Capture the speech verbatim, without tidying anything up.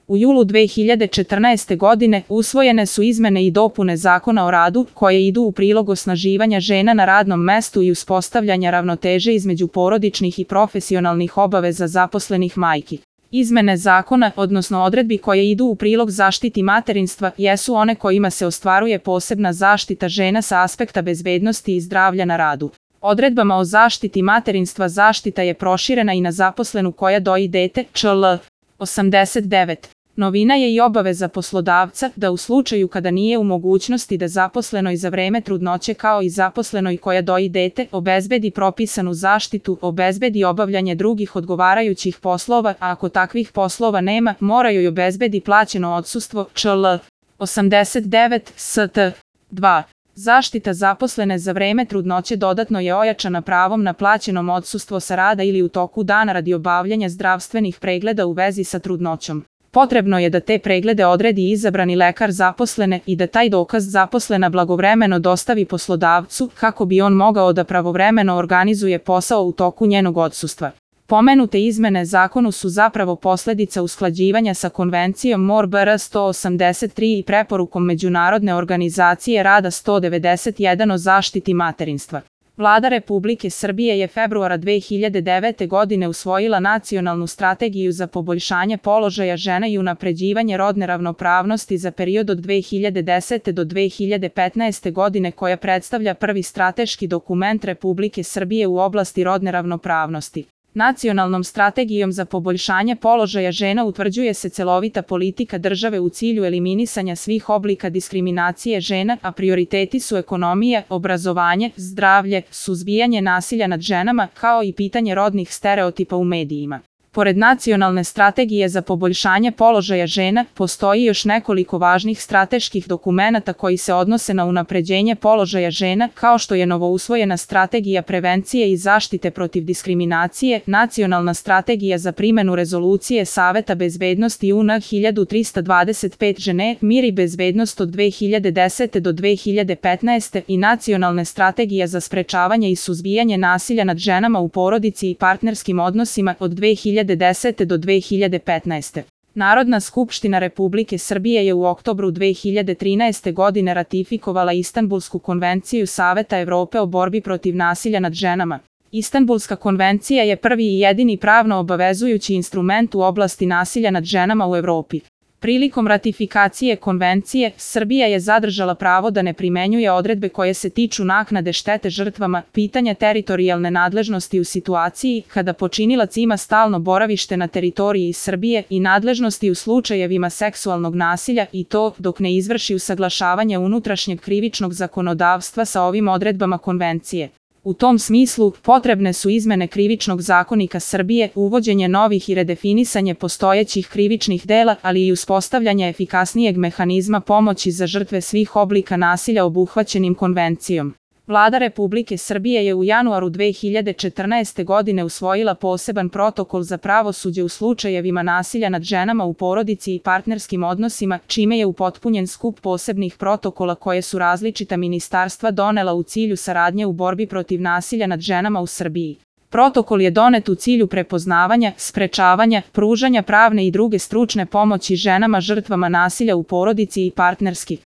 U julu dve hiljade četrnaeste. godine usvojene su izmene i dopune Zakona o radu koje idu u prilog osnaživanja žena na radnom mestu i uspostavljanja ravnoteže između porodičnih i profesionalnih obaveza zaposlenih majki. Izmene zakona, odnosno odredbi koje idu u prilog zaštiti materinstva, jesu one kojima se ostvaruje posebna zaštita žena sa aspekta bezbednosti i zdravlja na radu. Odredbama o zaštiti materinstva zaštita je proširena i na zaposlenu koja doji dete, čl. osamdeset devet. Novina je i obaveza poslodavca da u slučaju kada nije u mogućnosti da zaposlenoj za vreme trudnoće kao i zaposlenoj koja doji dete obezbedi propisanu zaštitu, obezbedi obavljanje drugih odgovarajućih poslova, a ako takvih poslova nema, mora joj obezbedi plaćeno odsustvo, čl. osamdeset devet st. dva. Zaštita zaposlene za vreme trudnoće dodatno je ojačana pravom na plaćenom odsustvo sa rada ili u toku dana radi obavljanja zdravstvenih pregleda u vezi sa trudnoćom. Potrebno je da te preglede odredi izabrani lekar zaposlene i da taj dokaz zaposlena blagovremeno dostavi poslodavcu kako bi on mogao da pravovremeno organizuje posao u toku njenog odsustva. Pomenute izmene zakonu su zapravo posledica usklađivanja sa Konvencijom M O R B R sto osamdeset tri i preporukom Međunarodne organizacije rada sto devedeset jedan o zaštiti materinstva. Vlada Republike Srbije je februara dve hiljade devete. godine usvojila Nacionalnu strategiju za poboljšanje položaja žena i unapređivanje rodne ravnopravnosti za period od dve hiljade desete. do dve hiljade petnaeste. godine koja predstavlja prvi strateški dokument Republike Srbije u oblasti rodne ravnopravnosti. Nacionalnom strategijom za poboljšanje položaja žena utvrđuje se celovita politika države u cilju eliminisanja svih oblika diskriminacije žena, a prioriteti su ekonomija, obrazovanje, zdravlje, suzbijanje nasilja nad ženama, kao i pitanje rodnih stereotipa u medijima. Pored Nacionalne strategije za poboljšanje položaja žena, postoji još nekoliko važnih strateških dokumenata koji se odnose na unapređenje položaja žena, kao što je novousvojena Strategija prevencije i zaštite protiv diskriminacije, Nacionalna strategija za primenu rezolucije Saveta bezbednosti U N hiljadu trista dvadeset pet žene, mir i bezbednost od dve hiljade desete. do dve hiljade petnaeste. i Nacionalne strategija za sprečavanje i suzbijanje nasilja nad ženama u porodici i partnerskim odnosima od dve hiljade desete. do dve hiljade petnaeste. Narodna skupština Republike Srbije je u oktobru dve hiljade trinaeste. godine ratifikovala Istanbulsku konvenciju Saveta Evrope o borbi protiv nasilja nad ženama. Istanbulska konvencija je prvi i jedini pravno obavezujući instrument u oblasti nasilja nad ženama u Evropi. Prilikom ratifikacije konvencije, Srbija je zadržala pravo da ne primenjuje odredbe koje se tiču naknade štete žrtvama, pitanja teritorijalne nadležnosti u situaciji kada počinilac ima stalno boravište na teritoriji Srbije i nadležnosti u slučajevima seksualnog nasilja i to dok ne izvrši usaglašavanje unutrašnjeg krivičnog zakonodavstva sa ovim odredbama konvencije. U tom smislu, potrebne su izmene Krivičnog zakonika Srbije, uvođenje novih i redefinisanje postojećih krivičnih dela, ali i uspostavljanje efikasnijeg mehanizma pomoći za žrtve svih oblika nasilja obuhvaćenim konvencijom. Vlada Republike Srbije je u januaru dve hiljade četrnaeste. godine usvojila poseban protokol za pravosuđe u slučajevima nasilja nad ženama u porodici i partnerskim odnosima, čime je upotpunjen skup posebnih protokola koje su različita ministarstva donela u cilju saradnje u borbi protiv nasilja nad ženama u Srbiji. Protokol je donet u cilju prepoznavanja, sprečavanja, pružanja pravne i druge stručne pomoći ženama žrtvama nasilja u porodici i partnerskih